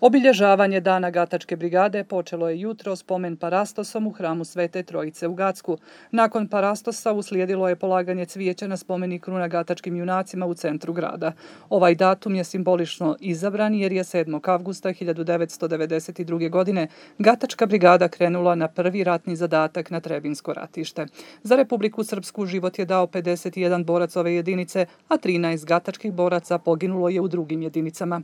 Obilježavanje Dana Gatačke brigade počelo je jutro spomen parastosom u hramu Svete Trojice u Gacku. Nakon parastosa uslijedilo je polaganje cvijeća na spomenik kruna gatačkim junacima u centru grada. Ovaj datum je simbolično izabran jer je 7. avgusta 1992. godine Gatačka brigada krenula na prvi ratni zadatak na Trebinsko ratište. Za Republiku Srpsku život je dao 51 borac ove jedinice, a 13 gatačkih boraca poginulo je u drugim jedinicama.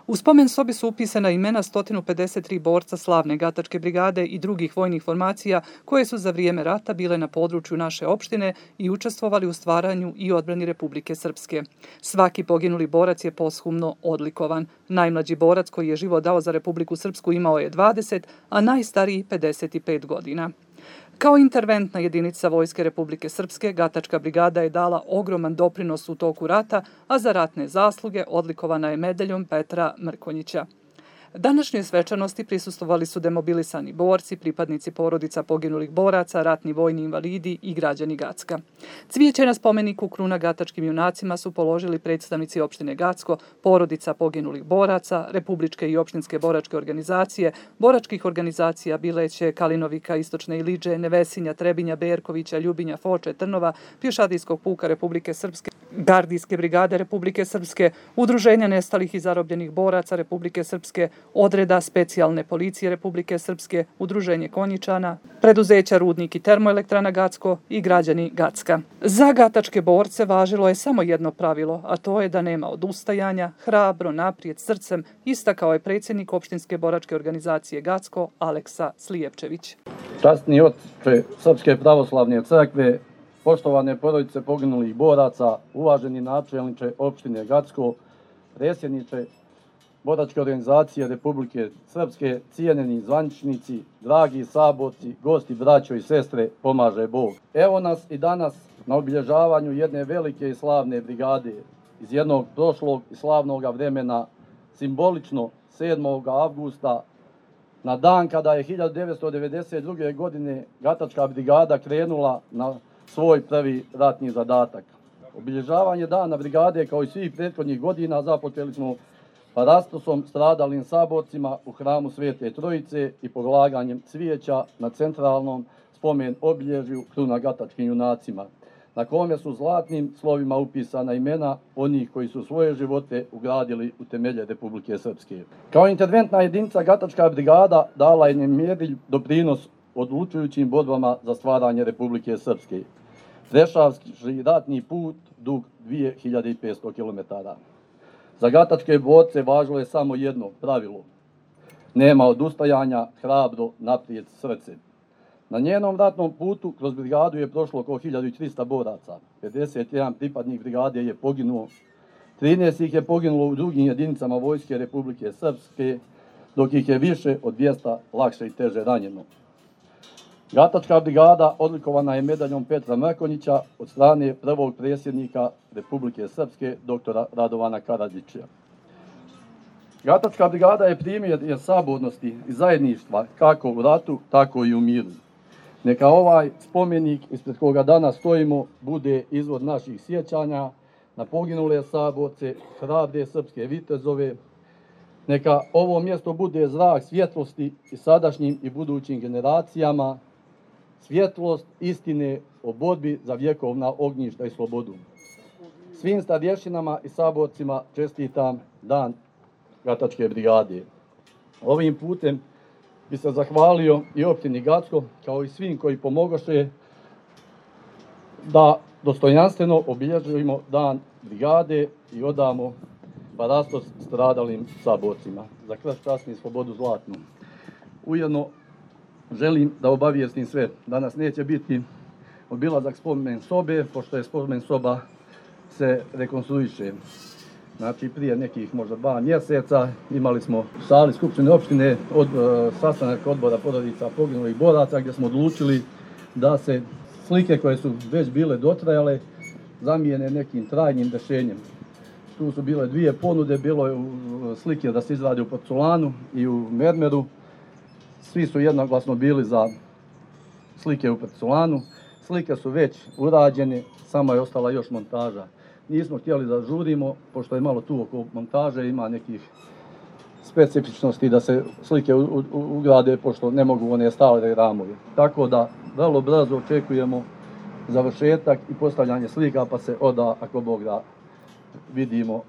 U spomen sobi su upisana imena 153 borca slavne Gatačke brigade i drugih vojnih formacija koje su za vrijeme rata bile na području naše opštine i učestvovali u stvaranju i odbrani Republike Srpske. Svaki poginuli borac je posthumno odlikovan. Najmlađi borac koji je život dao za Republiku Srpsku imao je 20, a najstariji 55 godina. Kao interventna jedinica Vojske Republike Srpske, Gatačka brigada je dala ogroman doprinos u toku rata, a za ratne zasluge odlikovana je medaljom Petra Mrkonjića. Današnjoj svečanosti prisustvovali su demobilisani borci, pripadnici porodica poginulih boraca, ratni vojni invalidi i građani Gacka. Cvijeće na spomeniku kruna gatačkim junacima su položili predstavnici opštine Gacko, porodica poginulih boraca, republičke i opštinske boračke organizacije, boračkih organizacija Bileće, Kalinovika, Istočne Iliđe, Nevesinja, Trebinja, Berkovića, Ljubinja, Foče, Trnova, Pješadijskog puka Republike Srpske, Gardijske brigade Republike Srpske, Udruženja nestalih i zarobljenih boraca Republike Srpske, Odreda specijalne policije Republike Srpske, Udruženje Konjičana, preduzeća Rudnik i termoelektrana Gacko i građani Gacka. Za gatačke borce važilo je samo jedno pravilo, a to je da nema odustajanja, hrabro, naprijed, srcem, istakao je predsjednik opštinske boračke organizacije Gacko Aleksa Slijepčević. Časni oče Srpske pravoslavne crkve, poštovane porodice poginulih boraca, uvaženi načelniče opštine Gacko, predsjedniče Boračke organizacije Republike Srpske, cijenjeni zvaničnici, dragi saborci, gosti, braćo i sestre, pomaže Bog. Evo nas i danas na obilježavanju jedne velike i slavne brigade iz jednog prošlog i slavnog vremena, simbolično 7. avgusta, na dan kada je 1992. godine Gatačka brigada krenula na svoj prvi ratni zadatak. Obilježavanje dana brigade kao i svih prethodnih godina započeli smo parastosom stradalim saborcima u hramu Svete Trojice i polaganjem cvijeća na centralnom spomen obilježju kruna gatačkim junacima, na kome su zlatnim slovima upisana imena onih koji su svoje živote ugradili u temelje Republike Srpske. Kao interventna jedinica Gatačka brigada dala je nemjerljiv doprinos odlučujućim borbama za stvaranje Republike Srpske, prešavši ratni put dug 2500 km. Za gatačke borce važilo je samo jedno pravilo: nema odustajanja, hrabro, naprijed, srce. Na njenom ratnom putu kroz brigadu je prošlo oko 1300 boraca, 51 pripadnik brigade je poginuo, 13 ih je poginulo u drugim jedinicama Vojske Republike Srpske, dok ih je više od 200 lakše i teže ranjeno. Gatačka brigada odlikovana je medaljom Petra Mrkonjića od strane prvog predsjednika Republike Srpske, doktora Radovana Karadžića. Gatačka brigada je primjer sabornosti i zajedništva kako u ratu, tako i u miru. Neka ovaj spomenik ispred koga danas stojimo bude izvor naših sjećanja na poginule saborce, hrabre srpske vitezove. Neka ovo mjesto bude zrak svjetlosti i sadašnjim i budućim generacijama, svjetlost istine o borbi za vjekovna ognjišta i slobodu. Svim starješinama i saborcima čestitam Dan Gatačke brigade. Ovim putem bi se zahvalio i opštini Gacko, kao i svim koji pomogoše da dostojanstveno obilježimo Dan brigade i odamo parastos stradalim saborcima. Za krst časni slobodu zlatnu. Ujedno želim da obavijestim sve. Danas neće biti obilazak spomen sobe, pošto je spomen soba se rekonstruiše. Znači, prije nekih možda 2 mjeseca imali smo u sali Skupštine opštine sastanak odbora porodica poginulih boraca, gdje smo odlučili da se slike koje su već bile dotrajale zamijene nekim trajnim rješenjem. Tu su bile 2 ponude, bilo je slike da se izradi u porculanu i u mermeru. Svi su jednoglasno bili za slike u porculanu. Slike su već urađene, samo je ostala još montaža. Nismo htjeli da žurimo, pošto je malo tu oko montaže, ima nekih specifičnosti da se slike ugrade, pošto ne mogu one stare ramove. Tako da vrlo brzo očekujemo završetak i postavljanje slika, pa se onda, ako Bog da, vidimo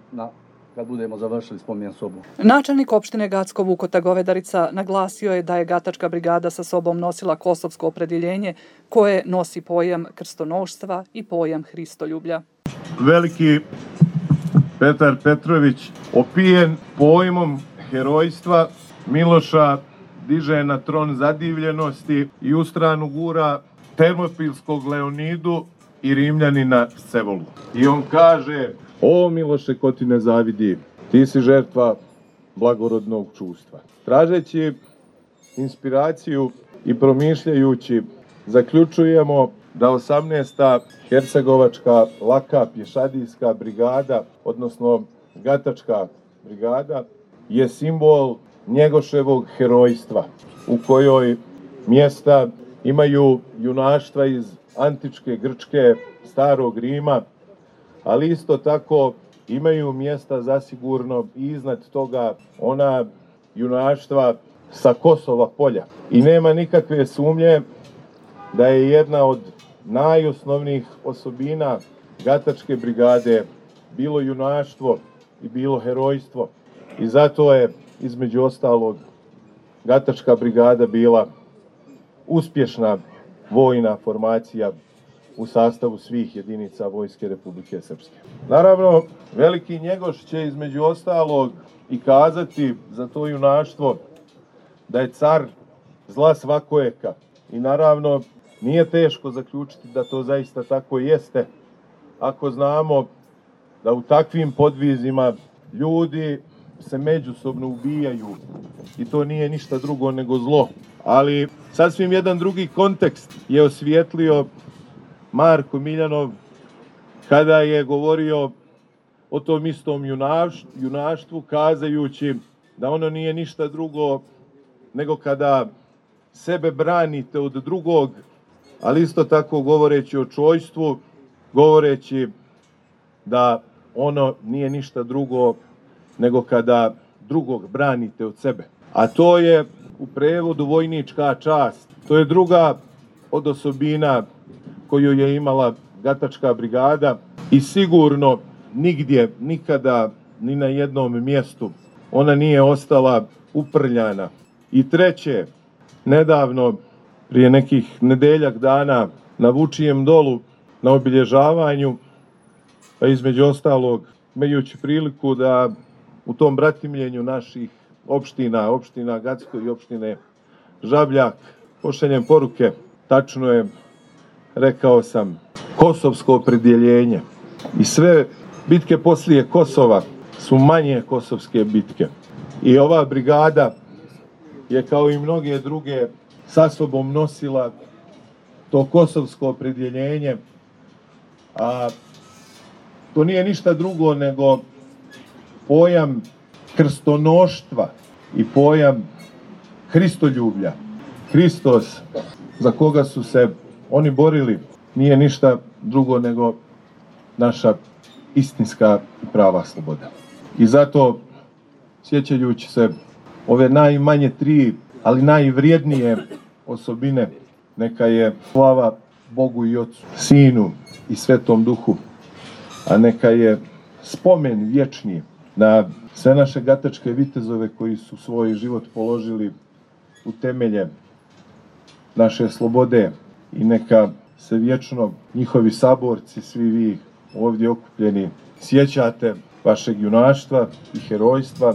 kad budemo završili spomen sobu. Načelnik opštine Gacko Vukota Govedarica naglasio je da je Gatačka brigada sa sobom nosila kosovsko opredjeljenje koje nosi pojam krstonoštva i pojam hristoljublja. Veliki Petar Petrović, opijen pojmom herojstva, Miloša diže na tron zadivljenosti i u stranu gura termopilskog Leonidu i Rimljanina Scevolu. I on kaže: o Miloše, ko ti ne zavidi, ti si žrtva blagorodnog čustva. Tražeći inspiraciju i promišljajući, zaključujemo da 18. Hercegovačka laka pješadijska brigada, odnosno Gatačka brigada, je simbol Njegoševog herojstva, u kojoj mjesta imaju junaštva iz antičke Grčke, starog Rima, ali isto tako imaju mjesta zasigurno i iznad toga ona junaštva sa Kosova polja. I nema nikakve sumnje da je jedna od najosnovnijih osobina Gatačke brigade bilo junaštvo i bilo herojstvo. I zato je, između ostalog, Gatačka brigada bila uspješna vojna formacija u sastavu svih jedinica Vojske Republike Srpske. Naravno, veliki Njegoš će između ostalog i kazati za to junaštvo da je car zla svakojeka. I naravno, nije teško zaključiti da to zaista tako jeste, ako znamo da u takvim podvizima ljudi se međusobno ubijaju i to nije ništa drugo nego zlo. Ali sasvim jedan drugi kontekst je osvijetlio Marko Miljanov kada je govorio o tom istom junaštvu, kazajući da ono nije ništa drugo nego kada sebe branite od drugog, ali isto tako govoreći o čojstvu, govoreći da ono nije ništa drugo nego kada drugog branite od sebe. A to je u prevodu vojnička čast. To je druga od osobina koju je imala Gatačka brigada i sigurno nigdje, nikada, ni na jednom mjestu ona nije ostala uprljana. I treće, nedavno, prije nekih nedeljak dana, na Vučijem dolu, na obilježavanju, pa između ostalog, imajući priliku da u tom bratimljenju naših opština Gacko i opštine Žabljak, pošaljem poruke, tačno je, rekao sam, kosovsko opredjeljenje. I sve bitke poslije Kosova su manje kosovske bitke. I ova brigada je, kao i mnoge druge, sa sobom nosila to kosovsko opredjeljenje, a to nije ništa drugo nego pojam krstonoštva i pojam hristoljublja. Hristos, za koga su se oni borili, nije ništa drugo nego naša istinska i prava sloboda. I zato, sjećajući se ove najmanje tri, ali najvrijednije osobine, neka je slava Bogu i Ocu, Sinu i Svetom Duhu, a neka je spomen vječni na sve naše gatačke vitezove koji su svoj život položili u temelje naše slobode i neka se vječno njihovi saborci, svi vi ovdje okupljeni, sjećate vašeg junaštva i herojstva,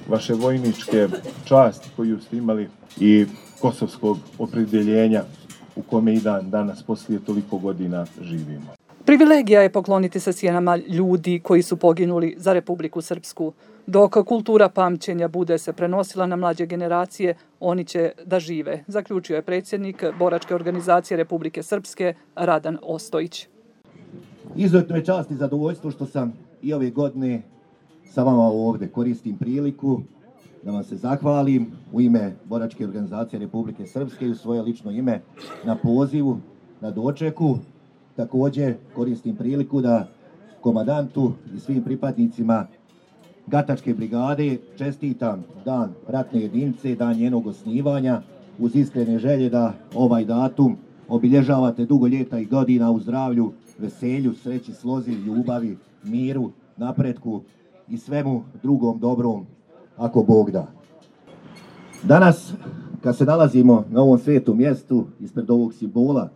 vaše vojničke časti koju ste imali i kosovskog opredjeljenja u kome i dan danas poslije toliko godina živimo. Privilegija je pokloniti se sjenama ljudi koji su poginuli za Republiku Srpsku. Dok kultura pamćenja bude se prenosila na mlađe generacije, oni će da žive, zaključio je predsjednik Boračke organizacije Republike Srpske Radan Ostojić. Izuzetno je čast i zadovoljstvo što sam i ove godine sa vama ovdje. Koristim priliku da vam se zahvalim u ime Boračke organizacije Republike Srpske i u svoje lično ime na pozivu, na dočeku. Također koristim priliku da komandantu i svim pripadnicima Gatačke brigade čestitam dan ratne jedinice, dan njenog osnivanja, uz iskrene želje da ovaj datum obilježavate dugo ljeta i godina u zdravlju, veselju, sreći, slozi, ljubavi, miru, napretku i svemu drugom dobrom, ako Bog da. Danas, kad se nalazimo na ovom svetom mjestu, ispred ovog simbola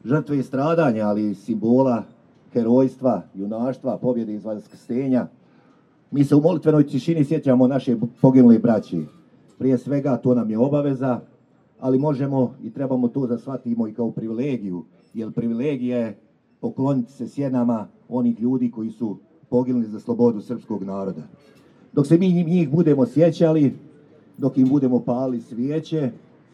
žrtve i stradanja, ali i simbola herojstva, junaštva, pobjede iz vaskrsenja, mi se u molitvenoj tišini sjećamo naše poginule braće. Prije svega to nam je obaveza, ali možemo i trebamo to da shvatimo i kao privilegiju, jer privilegija je pokloniti se sjenama onih ljudi koji su poginuli za slobodu srpskog naroda. Dok se mi njih budemo sjećali, dok im budemo palili svijeće,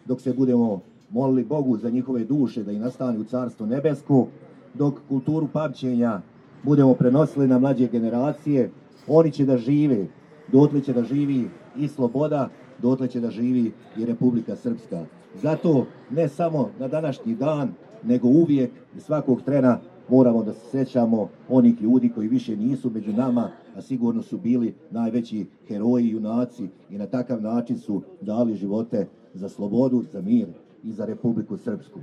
dok se budemo molili Bogu za njihove duše da i nastane u Carstvo nebesko, dok kulturu pamćenja budemo prenosili na mlađe generacije, oni će da žive, dotle će da živi i sloboda, dotle će da živi i Republika Srpska. Zato ne samo na današnji dan, nego uvijek i svakog trena moramo da se sjećamo onih ljudi koji više nisu među nama, a sigurno su bili najveći heroji, junaci i na takav način su dali živote za slobodu, za mir i za Republiku Srpsku.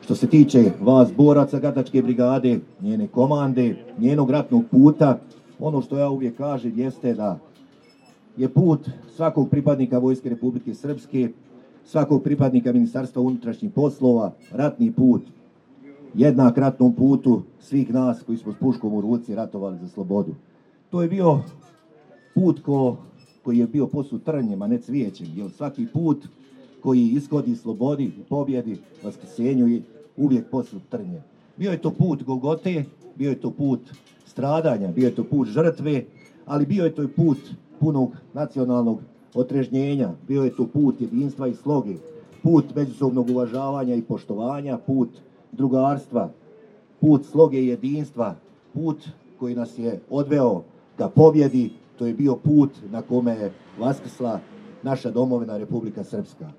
Što se tiče vas boraca Gatačke brigade, njene komande, njenog ratnog puta, ono što ja uvijek kažem jeste da je put svakog pripadnika Vojske Republike Srpske, svakog pripadnika Ministarstva unutrašnjih poslova, ratni put, jednak ratnom putu svih nas koji smo s puškom u ruci ratovali za slobodu. To je bio put koji je bio posut trnjem, a ne cvijećem, jer svaki put koji ishodi slobodi, pobjedi, vaskrsenju je uvijek posut trnjem. Bio je to put Golgote, bio je to put stradanja, bio je to put žrtve, ali bio je to i put punog nacionalnog otrežnjenja, bio je to put jedinstva i sloge, put međusobnog uvažavanja i poštovanja, put drugarstva, put sloge i jedinstva, put koji nas je odveo ka pobjedi, to je bio put na kome je vaskrsla naša domovina Republika Srpska.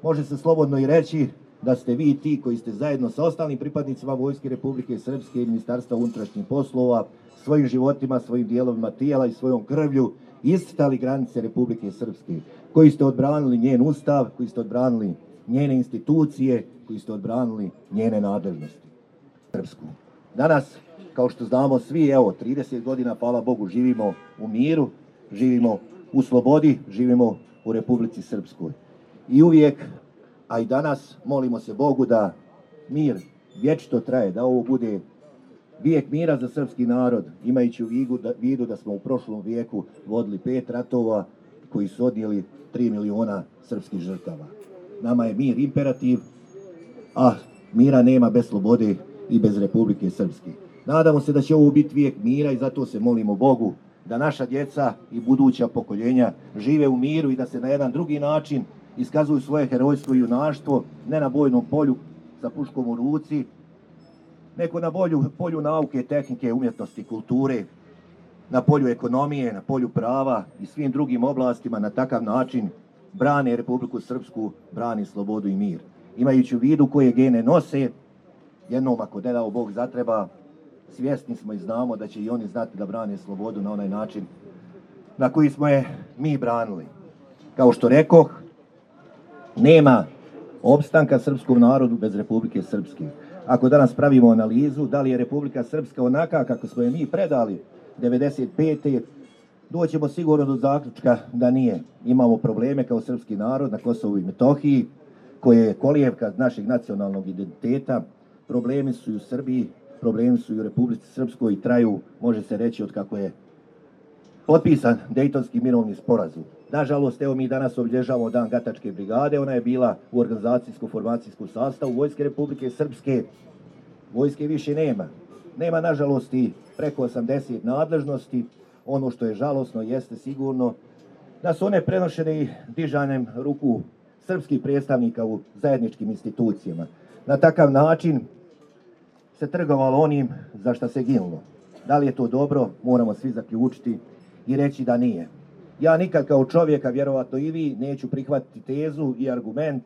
Može se slobodno i reći da ste vi ti koji ste zajedno sa ostalim pripadnicima Vojske Republike Srpske i Ministarstva unutrašnjih poslova svojim životima, svojim dijelovima tijela i svojom krvlju iscrtali granice Republike Srpske, koji ste odbranili njen ustav, koji ste odbranili njene institucije, koji ste odbranili njene nadležnosti. Srpsku. Danas, kao što znamo svi, evo, 30 godina, hvala Bogu, živimo u miru, živimo u slobodi, živimo u Republici Srpskoj. I uvijek, a i danas, molimo se Bogu da mir vječito traje, da ovo bude vijek mira za srpski narod, imajući u vidu da smo u prošlom vijeku vodili 5 ratova koji su odnijeli 3 miliona srpskih žrtava. Nama je mir imperativ, a mira nema bez slobode i bez Republike Srpske. Nadamo se da će ovo biti vijek mira i zato se molimo Bogu da naša djeca i buduća pokoljenja žive u miru i da se na jedan drugi način iskazuju svoje herojstvo i junaštvo, ne na bojnom polju sa puškom u ruci, nego na polju nauke, tehnike, umjetnosti, kulture, na polju ekonomije, na polju prava i svim drugim oblastima. Na takav način brane Republiku Srpsku, brani slobodu i mir. Imajući u vidu koje gene nose, jednom ako ne dao Bog zatreba, svjesni smo i znamo da će i oni znati da brane slobodu na onaj način na koji smo je mi branili. Kao što rekoh, nema opstanka srpskom narodu bez Republike Srpske. Ako danas pravimo analizu da li je Republika Srpska onaka kako smo je mi predali 95. doćemo sigurno do zaključka da nije. Imamo probleme kao srpski narod na Kosovu i Metohiji, koje je kolijevka našeg nacionalnog identiteta. Problemi su i u Srbiji, problemi su i u Republici Srpskoj i traju, može se reći, od kako je potpisan Dejtonski mirovni sporazum. Nažalost, evo mi danas obilježavamo Dan Gatačke brigade, ona je bila u organizacijsko-formacijskom sastavu Vojske Republike Srpske. Vojske više nema. Nema, nažalost, i preko 80 nadležnosti. Ono što je žalosno jeste sigurno da su one prenošene i dižanjem ruku srpskih predstavnika u zajedničkim institucijama. Na takav način se trgovalo onim za što se ginulo. Da li je to dobro, moramo svi zaključiti i reći da nije. Ja nikad kao čovjek, a vjerovatno i vi, neću prihvatiti tezu i argument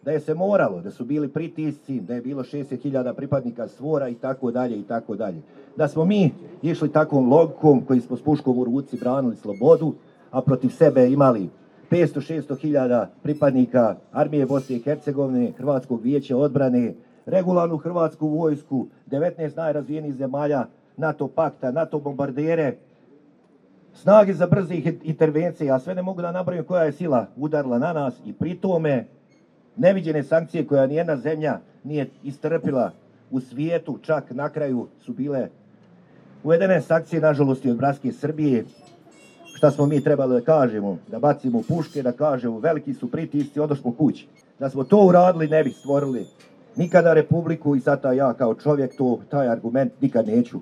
da je se moralo, da su bili pritisci, da je bilo 60.000 pripadnika SVOR-a i tako dalje i tako dalje. Da smo mi išli takvom logikom koji smo s puškom u ruci branili slobodu, a protiv sebe imali 500-600.000 pripadnika armije Bosne i Hercegovine, Hrvatskog vijeća odbrane, regularnu hrvatsku vojsku, 19 najrazvijenijih zemalja NATO pakta, NATO bombardere, snage za brze intervencije, a sve ne mogu da nabrojim koja je sila udarila na nas i pri tome neviđene sankcije koja nijedna zemlja nije istrpila u svijetu, čak na kraju su bile uvedene sankcije, nažalost, i od bratske Srbije. Šta smo mi trebali da kažemo? Da bacimo puške, da kažemo veliki su pritisci, odošmo kući. Da smo to uradili, ne bi stvorili nikada republiku i sada ja kao čovjek taj argument nikad neću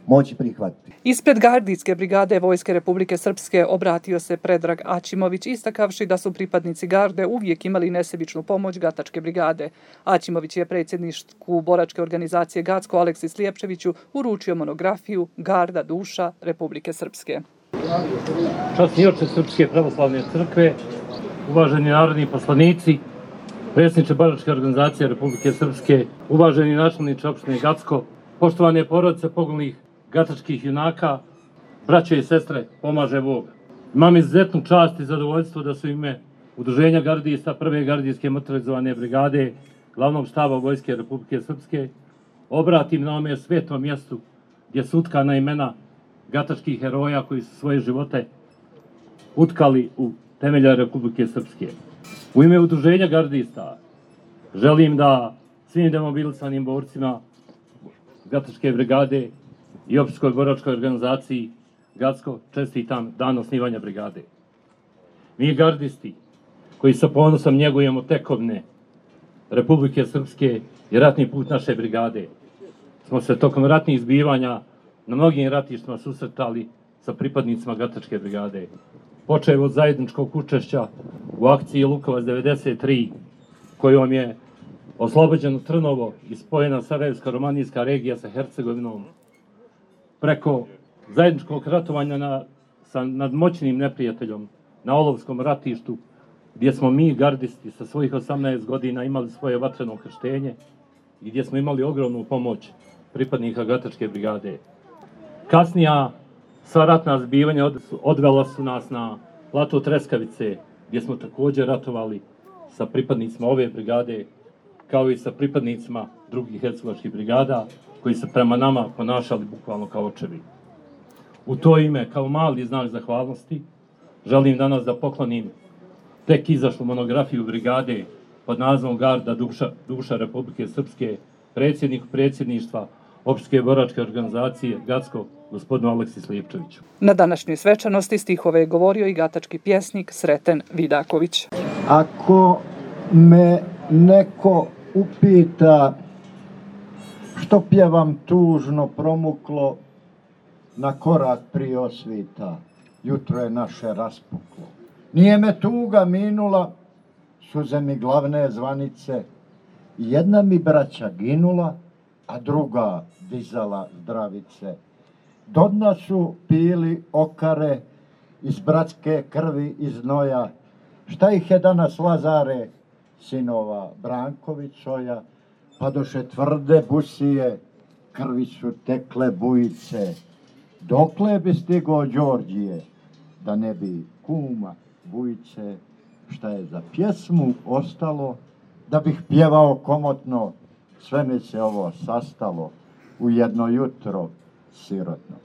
moći prihvatiti. Ispred gardijske brigade Vojske Republike Srpske obratio se Predrag Aćimović, istakavši da su pripadnici garde uvijek imali nesebičnu pomoć Gatačke brigade. Aćimović je predsjedniku boračke organizacije Gacko Aleksis Lijepčeviću uručio monografiju Garda duša Republike Srpske. Časni oče Srpske pravoslavne crkve, uvaženi narodni poslanici, predsjedniče boračke organizacije Republike Srpske, uvaženi načelniče opštine Gacko, poštovane porodice poginulih gatačkih junaka, braće i sestre, pomaže Bog. Imam izuzetnu čast i zadovoljstvo da su ime Udruženja gardista prve gardijske motorizovane brigade glavnog štaba Vojske Republike Srpske obratim na ovome svetom mjestu gdje su utkana imena gatačkih heroja koji su svoje živote utkali u temelja Republike Srpske. U ime Udruženja gardista želim da svim demobilisanim borcima Gatačke brigade i opštinskoj boračkoj organizaciji Gacko čestitam dan osnivanja brigade. Mi gardisti koji sa ponosom njegujemo tekovine Republike Srpske i ratni put naše brigade smo se tokom ratnih zbivanja na mnogim ratištima susretali sa pripadnicima Gatačke brigade. Počev od zajedničkog učešća u akciji Lukovac 93, kojom je oslobođeno Trnovo i spojena Sarajevska-romanijska regija sa Hercegovinom, preko zajedničkog ratovanja nad moćnim neprijateljom na Olovskom ratištu, gdje smo mi gardisti sa svojih 18 godina imali svoje vatreno krštenje i gdje smo imali ogromnu pomoć pripadnika Gatačke brigade. Kasnija sva ratna zbivanja odvela su nas na plato Treskavice, gdje smo također ratovali sa pripadnicima ove brigade, kao i sa pripadnicima drugih hercegovačkih brigada, koji se prema nama ponašali bukvalno kao očevi. U to ime, kao mali znak zahvalnosti, želim danas da poklonim tek izašlu monografiju brigade pod nazivom Garda duša Republike Srpske predsjedniku predsjedništva opštinske boračke organizacije Gacko, gospodinu Aleksis Lijepčeviću. Na današnjoj svečanosti stihove je govorio i gatački pjesnik Sreten Vidaković. Ako me neko upita što pjevam tužno promuklo na korak prije osvita, jutro je naše raspuklo. Nije me tuga minula, suze mi glavne zvanice, jedna mi braća ginula, a druga dizala zdravice. Do dna su pili okare iz bratske krvi i znoja, šta ih je danas Lazare, sinova Brankovićoja, pa doše tvrde busije, krvi su tekle bujice. Dokle bi stigao Đorđije, da ne bi kuma Vujice, šta je za pjesmu ostalo, da bih pjevao komotno, sve mi se ovo sastalo u jedno jutro sirotno.